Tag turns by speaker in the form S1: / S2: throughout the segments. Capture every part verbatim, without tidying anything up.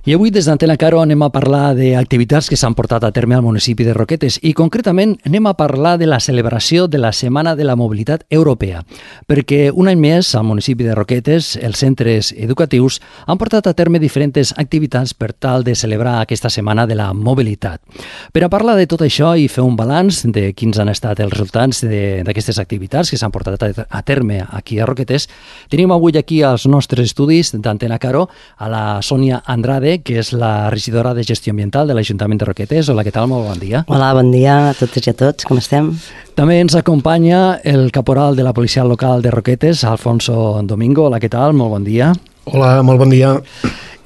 S1: I avui des d'Antena Caro anem a parlar d'activitats que s'han portat a terme al municipi de Roquetes i concretament anem a parlar de la celebració de la Setmana de la Mobilitat Europea, perquè un any més al municipi de Roquetes els centres educatius han portat a terme diferents activitats per tal de celebrar aquesta Setmana de la Mobilitat. Per a parlar de tot això i fer un balanç de quins han estat els resultats d'aquestes activitats que s'han portat a terme aquí a Roquetes, tenim avui aquí als nostres estudis d'Antena Caro a la Sònia Andrade, que és la regidora de Gestió Ambiental de l'Ajuntament de Roquetes. Hola, què tal? Molt bon dia.
S2: Hola, bon dia a totes i a tots. Com estem?
S1: També ens acompanya el caporal de la Policia Local de Roquetes, Alfonso Domingo. Hola, què tal? Molt bon dia.
S3: Hola, molt bon dia.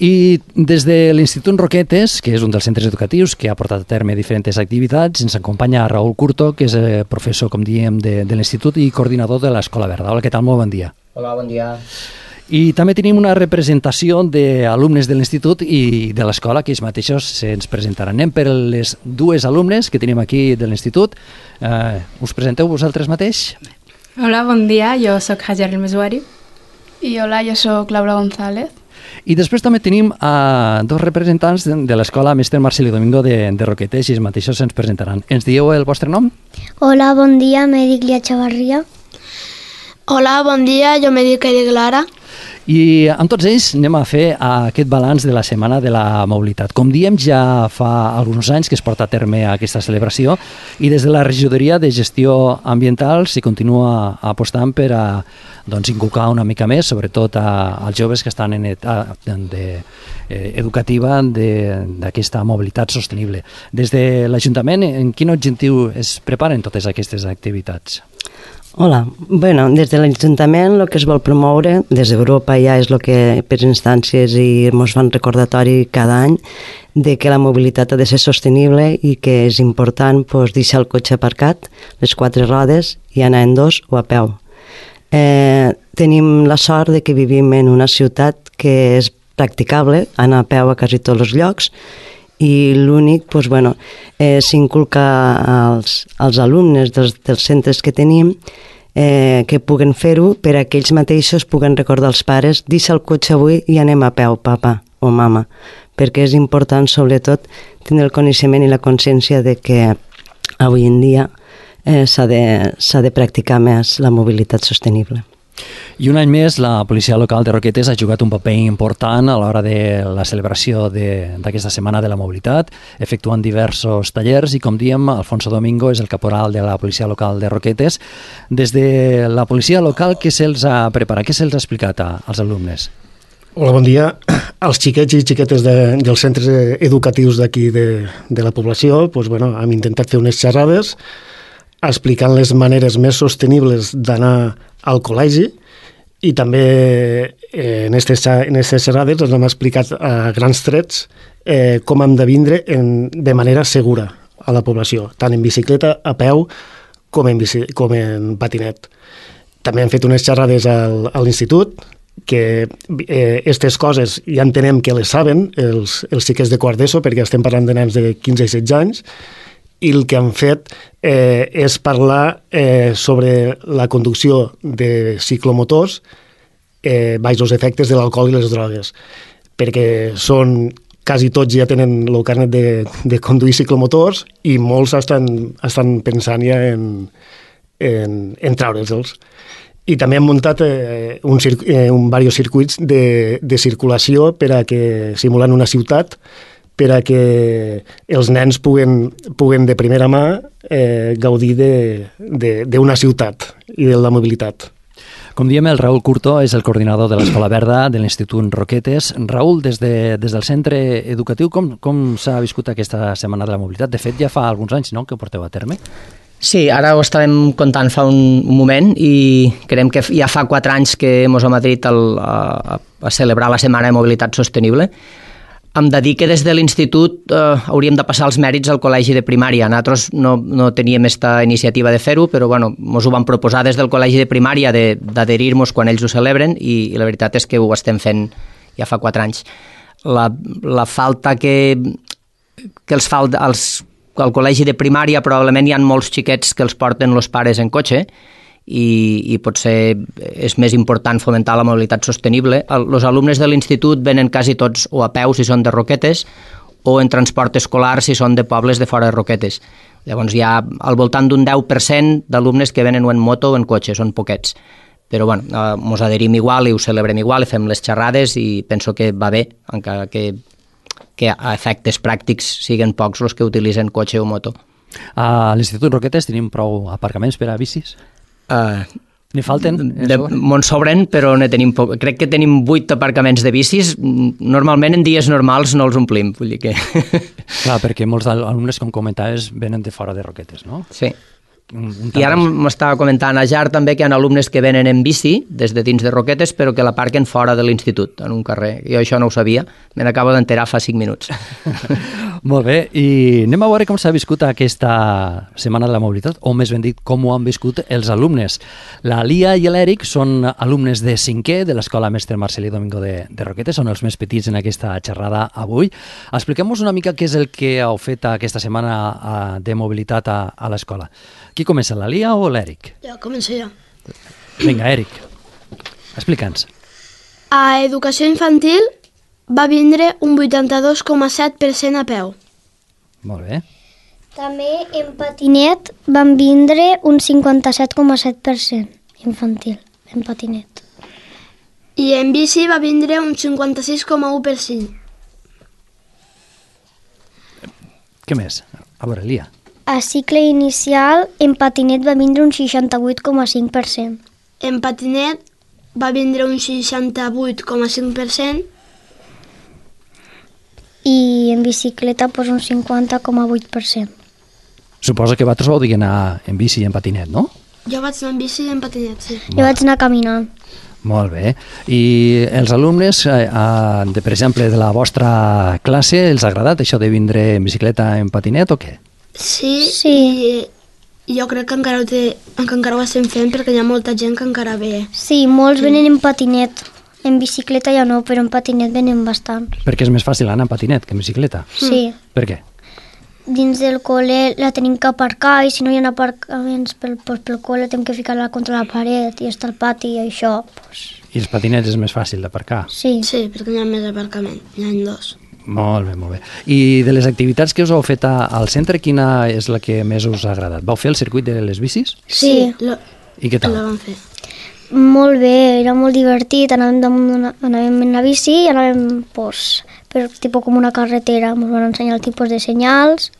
S1: I des de l'Institut Roquetes, que és un dels centres educatius que ha portat a terme diferents activitats, ens acompanya Raül Curto, que és professor, com diem, de, de l'Institut i coordinador de l'Escola Verda. Hola, què tal? Molt bon dia.
S4: Hola, bon dia.
S1: I també tenim una representació d'alumnes de l'Institut i de l'escola, que ells mateixos se'ns presentaran. Anem per les dues alumnes que tenim aquí de l'Institut. Eh, us presenteu vosaltres mateix?
S5: Hola, bon dia. Jo sóc Hajar El Mesuari.
S6: I hola, jo sóc Laura González.
S1: I després també tenim a dos representants de, de l'escola Mestre Marceli Domingo de, de Roquetes, i ells mateixos se'ns presentaran. Ens dieu el vostre nom?
S7: Hola, bon dia, me dic Lia Chavarria.
S6: Hola, bon dia, jo me dic Edith Lara.
S1: I amb tots ells anem a fer aquest balanç de la Setmana de la Mobilitat. Com diem, ja fa alguns anys que es porta a terme aquesta celebració i des de la regidoria de Gestió Ambiental s'hi continua apostant per a doncs, inculcar una mica més, sobretot a, als joves que estan en edat de, eh, educativa d'aquesta mobilitat sostenible. Des de l'Ajuntament, en quin objectiu es preparen totes aquestes activitats?
S2: Hola, bueno, des de l'Ajuntament el que es vol promoure, des d'Europa ja és el que per instàncies i ens fan recordatori cada any de que la mobilitat ha de ser sostenible i que és important pues, deixar el cotxe aparcat, les quatre rodes i anar en dos o a peu. Eh, tenim la sort de que vivim en una ciutat que és practicable, anar a peu a quasi tots els llocs, i l'únic, doncs, bueno, eh, s'inculca als, als alumnes dels, dels centres que tenim eh, que puguen fer-ho per a que ells mateixos puguen recordar als pares deixa el cotxe avui i anem a peu, papa o mama, perquè és important sobretot tenir el coneixement i la consciència de que avui en dia eh, s'ha de, s'ha de practicar més la mobilitat sostenible.
S1: I un any més, la Policia Local de Roquetes ha jugat un paper important a l'hora de la celebració d'aquesta Setmana de la Mobilitat, efectuant diversos tallers i, com diem, Alfonso Domingo és el caporal de la Policia Local de Roquetes. Des de la Policia Local, què se'ls ha preparat? Què se'ls ha explicat a, als alumnes?
S3: Hola, bon dia. Els xiquets i xiquetes de, dels centres educatius d'aquí de, de la població doncs, bueno, hem intentat fer unes xerrades explicant les maneres més sostenibles d'anar al col·legi i també eh, en aquestes xerrades ens hem explicat a grans trets eh, com hem de vindre en, de manera segura a la població, tant en bicicleta, a peu, com en, bici, com en patinet. També hem fet unes xerrades al, a l'institut que aquestes eh, coses ja entenem que les saben els, els xiquets de quart d'ESO, perquè estem parlant de nens de quinze i setze anys, i el que han fet eh, és parlar eh, sobre la conducció de ciclomotors eh, baix els efectes de l'alcohol i les drogues, perquè són, quasi tots ja tenen el carnet de, de conduir ciclomotors i molts estan, estan pensant ja en, en, en treure'ls. I també hem muntat eh, un, eh, un diversos circuits de, de circulació per a que, simulant una ciutat, per a que els nens puguen, puguen de primera mà eh, gaudir d'una ciutat i de la mobilitat.
S1: Com diem, el Raül Curto és el coordinador de l'Escola Verda de l'Institut Roquetes. Raül, des, de, des del centre educatiu, com, com s'ha viscut aquesta Setmana de la Mobilitat? De fet, ja fa alguns anys, no?, que ho porteu a terme.
S4: Sí, ara ho estàvem contant fa un, un moment i creiem que ja fa quatre anys que ens hem adherit al, a, a celebrar la Setmana de Mobilitat Sostenible. Em de dir que des de l'institut eh, hauríem de passar els mèrits al col·legi de primària. Nosaltres no, no teníem aquesta iniciativa de fer-ho, però bueno, ens ho van proposar des del col·legi de primària d'adherir-nos quan ells ho celebren i, i la veritat és que ho estem fent ja fa quatre anys. La, la falta que, que els fa als, al col·legi de primària probablement hi ha molts xiquets que els porten els pares en cotxe i, i potser és més important fomentar la mobilitat sostenible. Els alumnes de l'institut venen quasi tots o a peu si són de Roquetes o en transport escolar si són de pobles de fora de Roquetes. Llavors hi ha al voltant d'un deu per cent d'alumnes que venen o en moto o en cotxe, són poquets. Però bueno, eh, mos adherim igual i ho celebrem igual i fem les xerrades i penso que va bé, encara que, que a efectes pràctics siguen pocs els que utilitzen cotxe o moto.
S1: A l'Institut Roquetes tenim prou aparcaments per a bicis?
S4: Uh,
S1: N'hi falten?
S4: De, M'on sobren, però ne tenim poc. Crec que tenim vuit aparcaments de bicis. Normalment en dies normals no els omplim. Vull dir que...
S1: Clar, perquè molts alumnes, com comentaves, venen de fora de Roquetes, no?
S4: Sí. Un, un I ara m'estava comentant a Jar també que hi ha alumnes que venen en bici des de dins de Roquetes però que l'aparquen fora de l'institut, en un carrer. Jo això no ho sabia, me n'acabo d'enterar fa cinc minuts.
S1: Molt bé, i anem a veure com s'ha viscut aquesta Setmana de la Mobilitat, o més ben dit, com ho han viscut els alumnes. La Lia i l'Eric són alumnes de cinquè de l'Escola Mestre Marcelí Domingo de, de Roquetes, són els més petits en aquesta xerrada avui. Expliquem-nos una mica què és el que heu fet aquesta setmana de mobilitat a, a l'escola. Qui comença, la Lia o l'Eric?
S6: Jo, començo jo.
S1: Vinga, Eric, explica'ns.
S6: A educació infantil va vindre un vuitanta-dos coma set per cent a peu.
S1: Molt bé.
S7: També en patinet van vindre un cinquanta-set coma set per cent infantil, en patinet.
S6: I en bici va vindre un cinquanta-sis coma u per cent.
S1: Què més? A veure, Lia.
S7: A cicle inicial, en patinet va vindre un seixanta-vuit coma cinc per cent.
S6: En patinet va vindre un seixanta-vuit coma cinc per cent.
S7: I en bicicleta pues, un cinquanta coma vuit per cent.
S1: Suposo que vosaltres vau dir anar en bici i en patinet, no?
S6: Jo vaig anar en bici i en patinet, sí.
S7: Jo vaig anar caminant.
S1: Molt bé. I els alumnes, eh, de, per exemple, de la vostra classe, els ha agradat això de vindre en bicicleta en patinet o què?
S6: Sí,
S7: sí.
S6: I jo crec que encara ho, té, que encara ho estem fent perquè hi ha molta gent que encara ve.
S7: Sí, molts sí. venen en patinet. En bicicleta ja no, però en patinet venen bastant.
S1: Perquè és més fàcil anar en patinet que en bicicleta?
S7: Sí.
S1: Per què?
S7: Dins del col·le la tenim que aparcar i si no hi ha aparcaments pel, pel, pel col·le tenim que ficar-la contra la paret i està al pati i això. Pues...
S1: I els patinets és més fàcil d'aparcar?
S7: Sí.
S6: Sí, perquè hi ha més aparcament, hi ha dos.
S1: Molt bé, molt bé. I de les activitats que us heu fet a, al centre, quina és la que més us ha agradat? Vau fer el circuit de les bicis?
S7: Sí.
S6: sí lo,
S1: I què tal?
S6: Lo vam fer.
S7: Molt bé, era molt divertit, anàvem, una, anàvem en la bici i anàvem pues, per tipus com una carretera, ens van ensenyar el tipus de senyals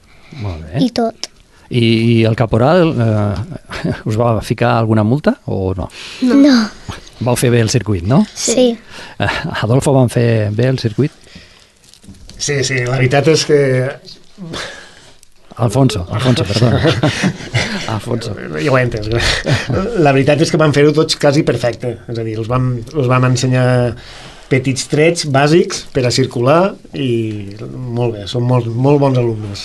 S7: i tot.
S1: I, i el caporal eh, us va ficar alguna multa o no?
S7: No. no.
S1: Vau fer bé el circuit, no?
S7: Sí.
S1: Eh, Adolfo, van fer bé el circuit?
S3: Sí, sí, la veritat és que...
S1: Alfonso, Alfonso, perdona. Alfonso.
S3: Ja ho he entès. La veritat és que van fer-ho tots quasi perfecte. És a dir, els vam, els vam ensenyar petits trets bàsics per a circular i molt bé, són molt, molt bons alumnes.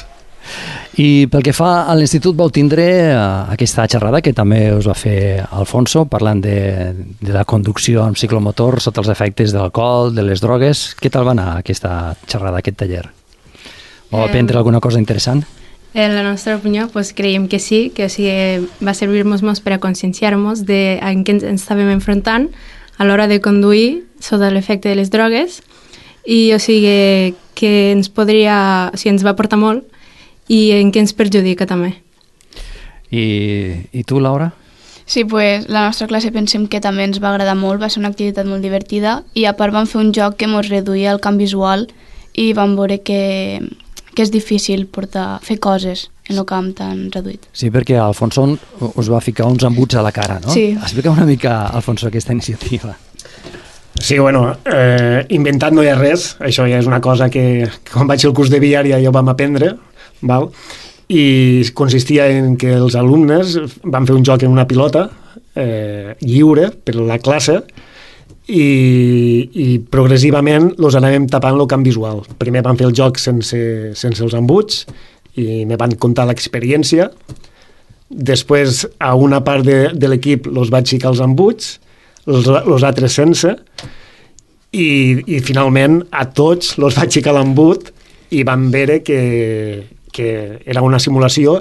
S1: I pel que fa a l'institut vau tindre aquesta xerrada que també us va fer Alfonso, parlant de, de la conducció amb ciclomotor sota els efectes de l'alcohol, de les drogues. Què tal va anar aquesta xerrada, aquest taller? Vau aprendre alguna cosa interessant?
S5: En la nostra opinió, pues, creiem que sí, que o sigui, va servir-nos molt per a conscienciar-nos de en què ens estàvem enfrontant a l'hora de conduir sota l'efecte de les drogues i o sigui, que ens podria, o sigui, ens va portar molt i en què ens perjudica també.
S1: I, i tu, Laura?
S8: Sí, pues, la nostra classe pensem que també ens va agradar molt, va ser una activitat molt divertida i a part vam fer un joc que ens reduïa el camp visual i vam veure que, que és difícil portar, fer coses en el camp tan reduït.
S1: Sí, perquè Alfonso us va ficar uns embuts a la cara, no?
S8: Sí.
S1: Explica una mica, Alfonso, aquesta iniciativa.
S3: Sí, bueno, eh, inventat no hi ha res, això ja és una cosa que, que quan vaig al curs de viària ja ho vam aprendre, val? I consistia en que els alumnes van fer un joc en una pilota eh, lliure per a la classe i, i progressivament els anàvem tapant el camp visual. Primer van fer el joc sense, sense els embuts i me van contar l'experiència. Després a una part de, de l'equip els vaig ficar els embuts, els, els altres sense, i, i finalment a tots els vaig ficar l'embut i van veure que, que era una simulació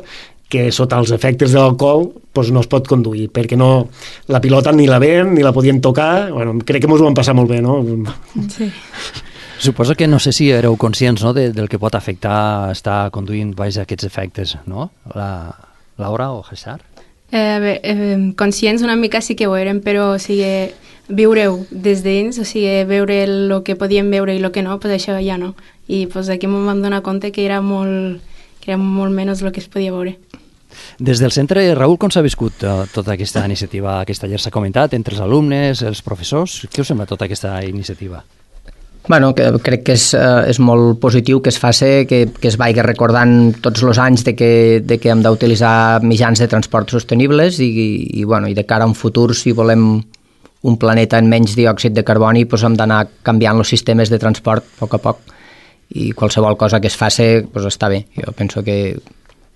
S3: que sota els efectes de l'alcohol doncs no es pot conduir, perquè no, la pilota ni la ven, ni la podien tocar. Bueno, crec que ens ho vam passar molt bé, no?
S5: Sí.
S1: Suposo que no sé si éreu conscients, no, de, del que pot afectar estar conduint baix aquests efectes, no? La, Laura o César?
S5: Eh, bé, eh, conscients una mica sí que ho érem, però o sigui, viure-ho des dins, o sigui, veure el que podíem veure i el que no, pues això ja no. I pues, aquí m'ho vam donar compte que era molt, que era molt menys el que es podia veure.
S1: Des del centre, Raül, com s'ha viscut uh, tota aquesta iniciativa que ayer s'ha comentat, entre els alumnes, els professors? Què us sembla tota aquesta iniciativa?
S4: Bueno, que, crec que és, eh, és molt positiu que es faci, que, que es vagi recordant tots els anys de que, de que hem d'utilitzar mitjans de transport sostenibles i, i, i, bueno, i de cara a un futur, si volem un planeta amb menys diòxid de carboni, doncs hem d'anar canviant els sistemes de transport a poc a poc, i qualsevol cosa que es faci doncs està bé. Jo penso que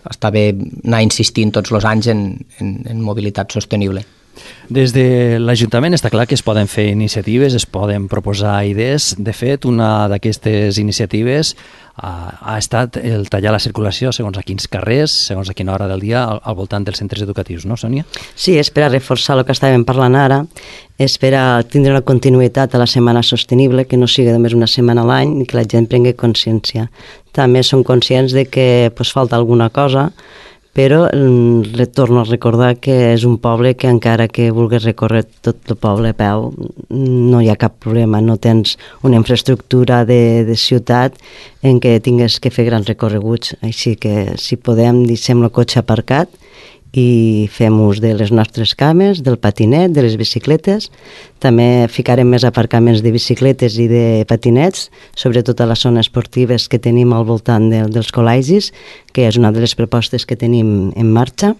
S4: està bé anar insistint tots els anys en, en, en mobilitat sostenible.
S1: Des de l'Ajuntament està clar que es poden fer iniciatives, es poden proposar idees. De fet, una d'aquestes iniciatives ha, ha estat el tallar la circulació segons a quins carrers, segons a quina hora del dia, al, al voltant dels centres educatius, no, Sònia?
S2: Sí, és per a reforçar el que estàvem parlant ara, és per a tindre una continuïtat a la Setmana Sostenible, que no sigui només una setmana a l'any i que la gent prengui consciència. També som conscients de que pues, falta alguna cosa, però eh, torno a recordar que és un poble que encara que vulguis recórrer tot el poble a peu no hi ha cap problema, no tens una infraestructura de, de ciutat en què tingues que fer grans recorreguts, així que si podem deixem el cotxe aparcat i fem ús de les nostres cames, del patinet, de les bicicletes. També ficarem més aparcaments de bicicletes i de patinets, sobretot a les zones esportives que tenim al voltant de, dels col·legis, que és una de les propostes que tenim en marxa,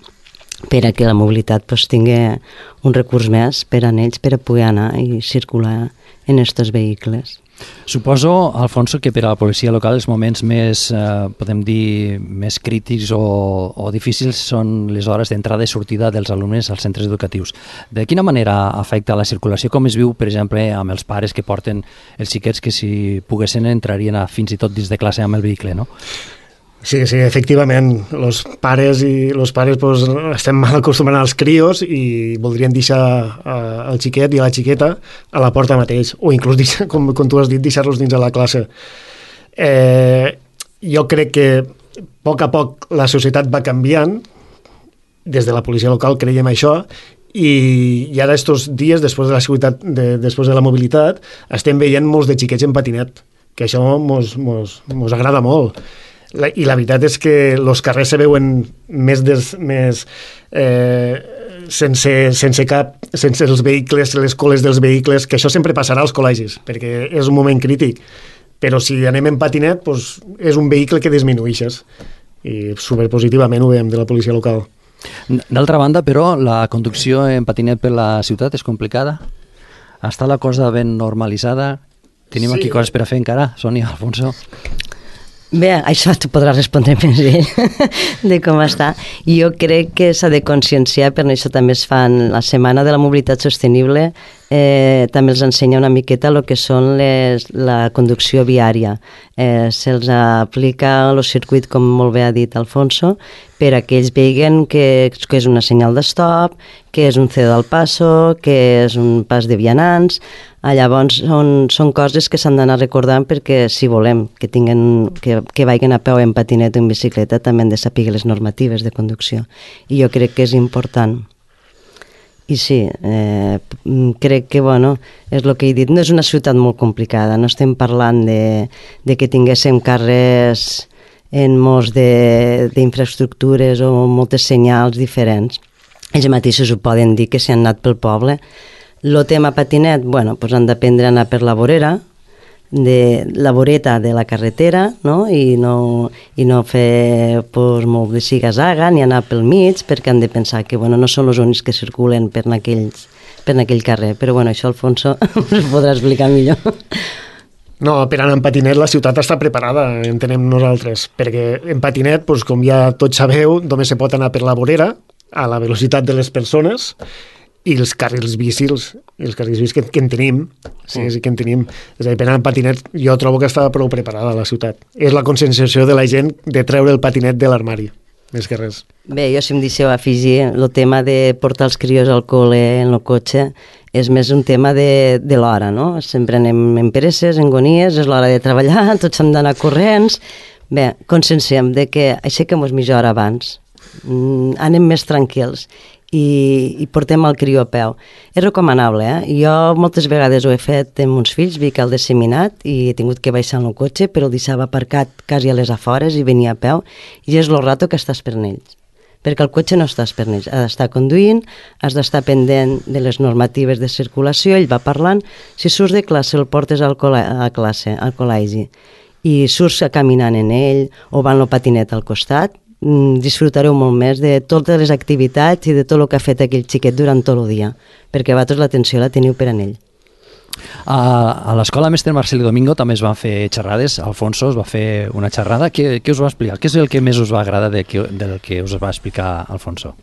S2: per a que la mobilitat pues, tingui un recurs més per a ells, per a poder anar i circular en aquests vehicles.
S1: Suposo, Alfonso, que per a la policia local els moments més, eh, podem dir, més crítics o, o difícils són les hores d'entrada i sortida dels alumnes als centres educatius. De quina manera afecta la circulació? Com es viu, per exemple, amb els pares que porten els xiquets que si poguessin entrarien a, fins i tot dins de classe amb el vehicle, no?
S3: Sí, sí, efectivament, els pares i los pares pues, estem mal acostumant als crios i voldrien deixar uh, el xiquet i la xiqueta a la porta mateix, o inclús, deixar, com, com tu has dit, deixar-los dins de la classe. Eh, jo crec que a poc a poc la societat va canviant, des de la policia local creiem això, i, i ara estos dies, després de la seguretat, de, després de la mobilitat, estem veient molts de xiquets en patinet, que això mos, mos, mos agrada molt. La, i la veritat és que els carrers se veuen més, des, més eh, sense, sense cap, sense els vehicles, les coles dels vehicles, que això sempre passarà als col·legis, perquè és un moment crític. Però si anem en patinet, doncs és un vehicle que disminueixes. I superpositivament ho veiem de la policia local.
S1: D'altra banda, però, la conducció en patinet per la ciutat és complicada? Està la cosa ben normalitzada? Tenim sí. aquí coses per a fer encara, Sònia, Alfonso?
S2: Bé, això tu podràs respondre més ell de com està. Jo crec que s'ha de conscienciar, per això també es fan la Setmana de la Mobilitat Sostenible, eh, també els ensenya una miqueta el que són les, la conducció viària. Eh, se'ls aplica el circuit, com molt bé ha dit Alfonso, per a que ells veguen que, que és una senyal d'estop, que és un cedo al paso, que és un pas de vianants. Ah, llavors són, són coses que s'han d'anar recordant perquè si volem que, tinguen, que, que vagin a peu en patinet o en bicicleta també han de saber les normatives de conducció. I jo crec que és important. I sí, eh, crec que bueno, és el que he dit, no és una ciutat molt complicada, no estem parlant de, de que tinguéssim carrers en molts d'infraestructures o moltes senyals diferents. Ells mateixos ho poden dir que si han anat pel poble. El tema patinet, bueno, pues han d'aprendre a anar per la vorera, de la voreta de la carretera, no? I no, i no fer pues, molt de siga-zaga ni anar pel mig, perquè han de pensar que bueno, no són els únics que circulen per aquells, per aquell carrer. Però bueno, això Alfonso us podrà explicar millor.
S3: No, per anar en patinet la ciutat està preparada, entenem nosaltres, perquè en patinet, doncs, com ja tots sabeu, només se pot anar per la vorera, a la velocitat de les persones, i els carrils bicis, els carrils bicis que, que en tenim, sí, sí que en tenim. És a dir, per anar en patinet jo trobo que està prou preparada la ciutat. És la conscienciació de la gent de treure el patinet de l'armari. més que res.
S2: Bé, jo si em deixeu afegir, el tema de portar els crios al col·le en el cotxe és més un tema de, de l'hora, no? Sempre anem en peresses, en gonies, és l'hora de treballar, tots hem d'anar corrents. Bé, conscienciem de que aixequem-nos mitja hora abans, mm, anem més tranquils i, i portem el crió a peu. És recomanable, eh? Jo moltes vegades ho he fet amb uns fills, vic al disseminat i he tingut que baixar en el cotxe, però el deixava aparcat quasi a les afores i venia a peu, i és el rato que estàs per ells, perquè el cotxe no estàs per ells, has d'estar conduint, has d'estar pendent de les normatives de circulació, ell va parlant, si surts de classe el portes al col·le a classe, al col·legi, i surts caminant en ell o va en el patinet al costat, disfrutareu molt més de totes les activitats i de tot el que ha fet aquell xiquet durant tot el dia, perquè vosaltres l'atenció la teniu per en ell.
S1: A, a l'escola Mestre Marceli Domingo també es van fer xerrades. Alfonso es va fer una xerrada. Què, què us va explicar? Què és el que més us va agradar de que, del que us va explicar Alfonso?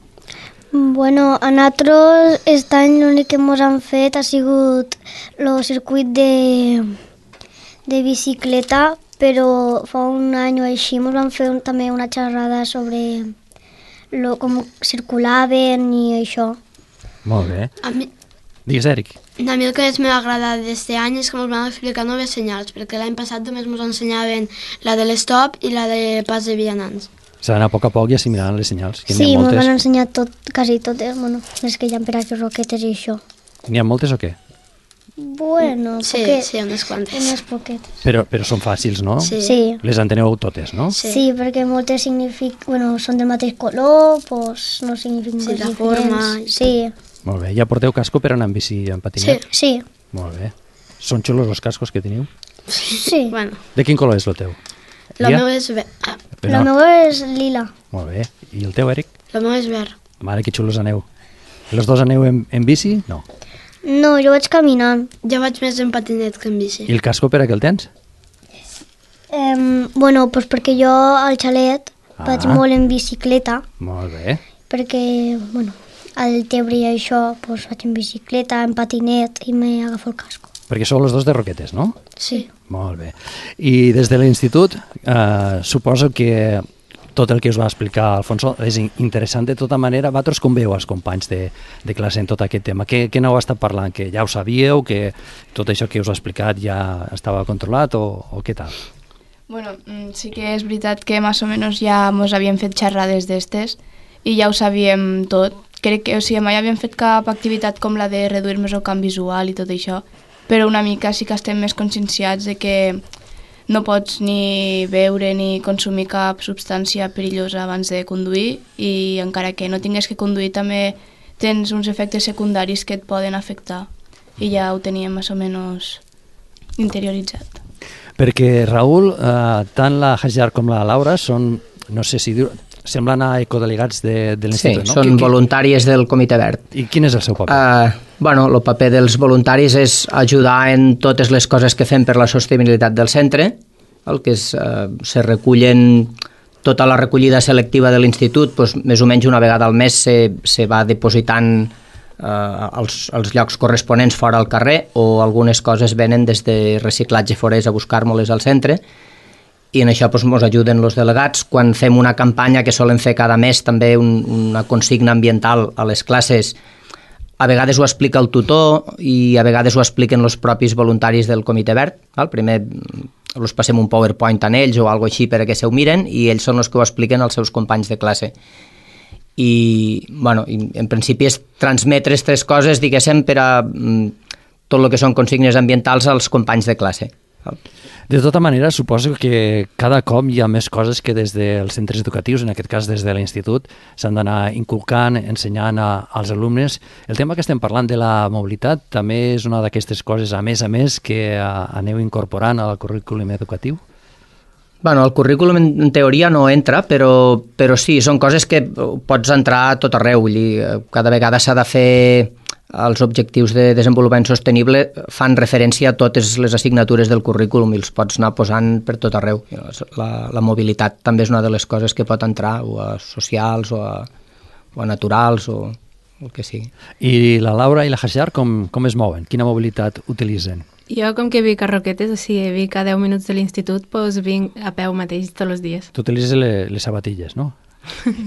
S7: Bueno, a nosaltres aquest any l'únic que ens han fet ha sigut el circuit de, de bicicleta, però fa un any o així ens van fer un, també una xerrada sobre lo, com circulaven i això.
S1: Molt bé.
S6: A mi,
S1: Digues, Eric.
S6: a mi el que més m'ha agradat d'aquest any és que ens van explicar noves senyals, perquè l'any passat només ens ensenyaven la de l'estop i la de pas de vianants.
S1: S'ha d'anar a poc a poc i assimilant les senyals. Que
S7: Sí,
S1: n'hi ha
S7: ens
S1: moltes.
S7: van ensenyar tot, quasi totes, bueno, les que hi ha per aquí roquetes i això.
S1: N'hi ha moltes o què?
S7: Bueno,
S6: Sí,
S7: poquet,
S6: sí, unes quantes.
S7: unes poquetes.
S1: Però, però són fàcils, no?
S6: Sí.
S7: Sí.
S1: Les enteneu totes, no?
S6: Sí.
S7: Sí, perquè moltes signific... bueno, són del mateix color, doncs no signifiquen
S6: Sí,
S7: coses
S6: la forma
S7: diferents.
S6: i
S7: Sí,
S1: Molt bé. Ja porteu casco per anar en bici i en patinet?
S7: sí,
S1: Molt bé. Són xulos els cascos que teniu?
S7: sí.
S6: Bueno,
S1: De quin color és el teu?
S6: el
S1: Lia?
S6: meu és verd. Ah,
S7: La meva és lila.
S1: Molt bé. I el teu, Eric?
S6: el meu és verd.
S1: Mare, que xulos aneu. Els dos aneu en, en bici? No.
S7: No, jo vaig caminant.
S6: Jo vaig més en patinet que en bici.
S1: I el casco per a què el tens?
S7: Um, bueno, doncs perquè jo al xalet
S1: Ah.
S7: vaig molt en bicicleta,
S1: Molt bé.
S7: perquè, bueno, al Tebre i això, doncs vaig en bicicleta, en patinet i m'agafo el casco.
S1: Perquè sou els dos de Roquetes, no?
S7: Sí.
S1: Molt bé. I des de l'institut, eh, suposo que tot el que us va explicar Alfonso és in- interessant de tota manera. Vosaltres com veieu els companys de, de classe en tot aquest tema? Què, què n'heu estat parlant? Que ja ho sabíeu? Que tot això que us ha explicat ja estava controlat o, o què tal?
S8: Bueno, mm, sí que és veritat que més o menys ja mos havíem fet xerrades d'estes i ja ho sabíem tot. Crec que, o sigui, mai havíem fet cap activitat com la de reduir-nos el camp visual i tot això, però una mica sí que estem més conscienciats de que no pots ni beure ni consumir cap substància perillosa abans de conduir i encara que no tingues que conduir també tens uns efectes secundaris que et poden afectar i ja ho teníem més o menys interioritzat.
S1: Perquè, Raül, eh, tant la Hajar com la Laura són, no sé si dir, semblen a ecodelegats de, de
S4: Sí,
S1: l'institut, no?
S4: són
S1: Qui- qui-
S4: voluntàries del Comitè Verd.
S1: I quin és el seu paper?
S4: Uh, bueno, el paper dels voluntaris és ajudar en totes les coses que fem per la sostenibilitat del centre, el que és, uh, se recullen tota la recollida selectiva de l'institut, doncs, més o menys una vegada al mes se, se va depositant uh, als, als llocs corresponents fora al carrer, o algunes coses venen des de reciclatge forès a buscar-nos al centre, i en això doncs, ens ajuden els delegats. Quan fem una campanya que solen fer cada mes també un, una consigna ambiental a les classes, a vegades ho explica el tutor i a vegades ho expliquen els propis voluntaris del Comitè Verd. Val? Primer els passem un PowerPoint en ells o alguna així perquè se ho miren i ells són els que ho expliquen als seus companys de classe. I, bueno, en principi és transmetre aquestes coses, diguéssim, per a mm, tot el que són consignes ambientals als companys de classe. Val?
S1: De tota manera, suposo que cada cop hi ha més coses que des dels centres educatius, en aquest cas des de l'institut, s'han d'anar inculcant, ensenyant a, als alumnes. El tema que estem parlant de la mobilitat també és una d'aquestes coses, a més a més, que a, aneu incorporant al currículum educatiu?
S4: Bueno, el currículum en, en teoria no entra, però, però sí, són coses que pots entrar a tot arreu. Vull dir, cada vegada s'ha de fer els objectius de desenvolupament sostenible, fan referència a totes les assignatures del currículum i els pots anar posant per tot arreu. La, la mobilitat també és una de les coses que pot entrar, o a socials, o a, o a naturals, o el que sigui.
S1: I la Laura i la Hajar com, com es mouen? Quina mobilitat utilitzen?
S5: Jo, com que vic a Roquetes, o sigui, vic a deu minuts de l'institut, doncs vinc a peu mateix tots els dies.
S1: Tu utilitzes les, les sabatilles, no?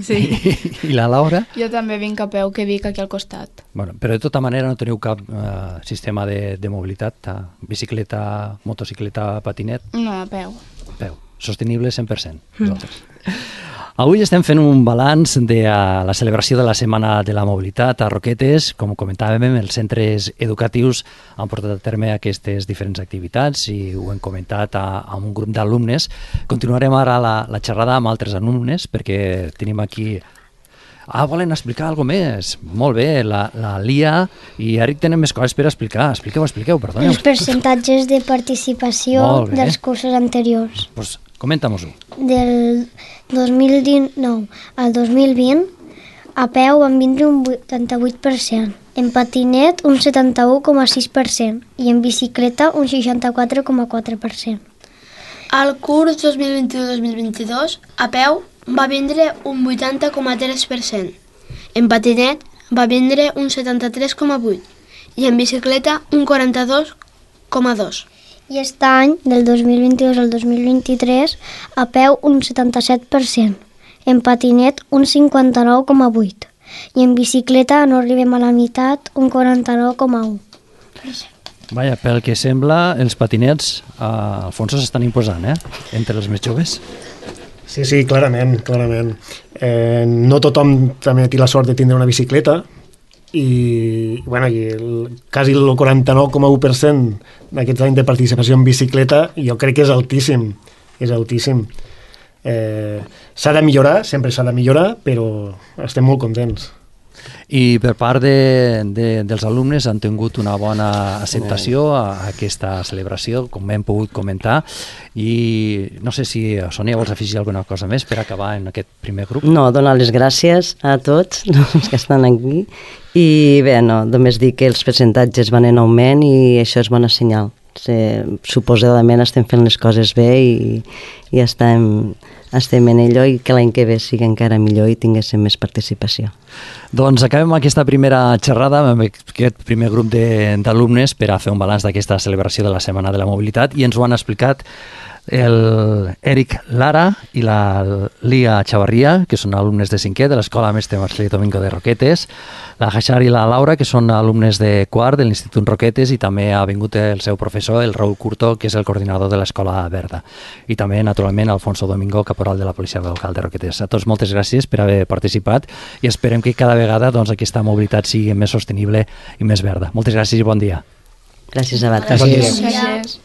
S5: Sí.
S1: I, I la Laura?
S8: Jo també vinc a peu, que vinc aquí al costat.
S1: Bueno, però de tota manera no teniu cap eh, sistema de, de mobilitat, eh, bicicleta, motocicleta, patinet?
S8: No, a peu.
S1: A peu. Sostenible cent per cent. Nosaltres. Avui estem fent un balanç de uh, la celebració de la Setmana de la Mobilitat a Roquetes. Com comentàvem, els centres educatius han portat a terme aquestes diferents activitats i ho hem comentat a, a un grup d'alumnes. Continuarem ara la, la xerrada amb altres alumnes perquè tenim aquí... Ah, volen explicar alguna més? Molt bé, la, la Lia i Eric tenen més coses per explicar. Expliqueu, expliqueu, perdoneu.
S7: Els percentatges de participació dels cursos anteriors.
S1: Pues comenta-mos-ho.
S7: Del dos mil dinou al dos mil vint, a peu van vindre un vuitanta-vuit per cent, en patinet un setanta-u coma sis per cent i en bicicleta un seixanta-quatre coma quatre per cent.
S6: Al curs dos mil vint-i-u dos mil vint-i-dos, a peu va vindre un vuitanta coma tres per cent, en patinet va vindre un setanta-tres coma vuit i en bicicleta un quaranta-dos coma dos.
S7: I aquest any, del dos mil vint-i-dos al dos mil vint-i-tres, a peu un setanta-set per cent, en patinet un cinquanta-nou coma vuit i en bicicleta no arribem a la meitat, un quaranta-nou coma u.
S1: Vaja, pel que sembla, els patinets a Alfonso s'estan imposant, eh? Entre els més joves.
S3: Sí, sí, clarament, clarament. Eh, no tothom també té la sort de tindre una bicicleta i, bueno, i el, quasi el quaranta-nou coma u per cent d'aquests anys de participació en bicicleta jo crec que és altíssim, és altíssim. Eh, s'ha de millorar, sempre s'ha de millorar, però estem molt contents.
S1: I per part de, de, dels alumnes han tingut una bona acceptació a aquesta celebració, com hem pogut comentar, i no sé si, Sònia, vols afegir alguna cosa més per acabar en aquest primer grup?
S2: No, donar les gràcies a tots els que estan aquí i bé, no, només dir que els percentatges van en augment i això és bona senyal. Sí, suposadament estem fent les coses bé i, i estem, estem en allò i que l'any que ve sigui encara millor i tinguéssim més participació.
S1: Doncs acabem aquesta primera xerrada amb aquest primer grup d'alumnes per a fer un balanç d'aquesta celebració de la Setmana de la Mobilitat i ens ho han explicat el Eric Lara i la Lia Chavarria, que són alumnes de cinquè de l'Escola Mestre Marcelí Domingo de Roquetes, la Hachar i la Laura, que són alumnes de quart de l'Institut Roquetes, i també ha vingut el seu professor, el Raúl Curto, que és el coordinador de l'Escola Verda. I també, naturalment, Alfonso Domingo, caporal de la Policia Local de Roquetes. A tots moltes gràcies per haver participat i esperem que cada vegada doncs, aquesta mobilitat sigui més sostenible i més verda. Moltes gràcies i bon dia.
S2: Gràcies a vosaltres.
S8: Gràcies.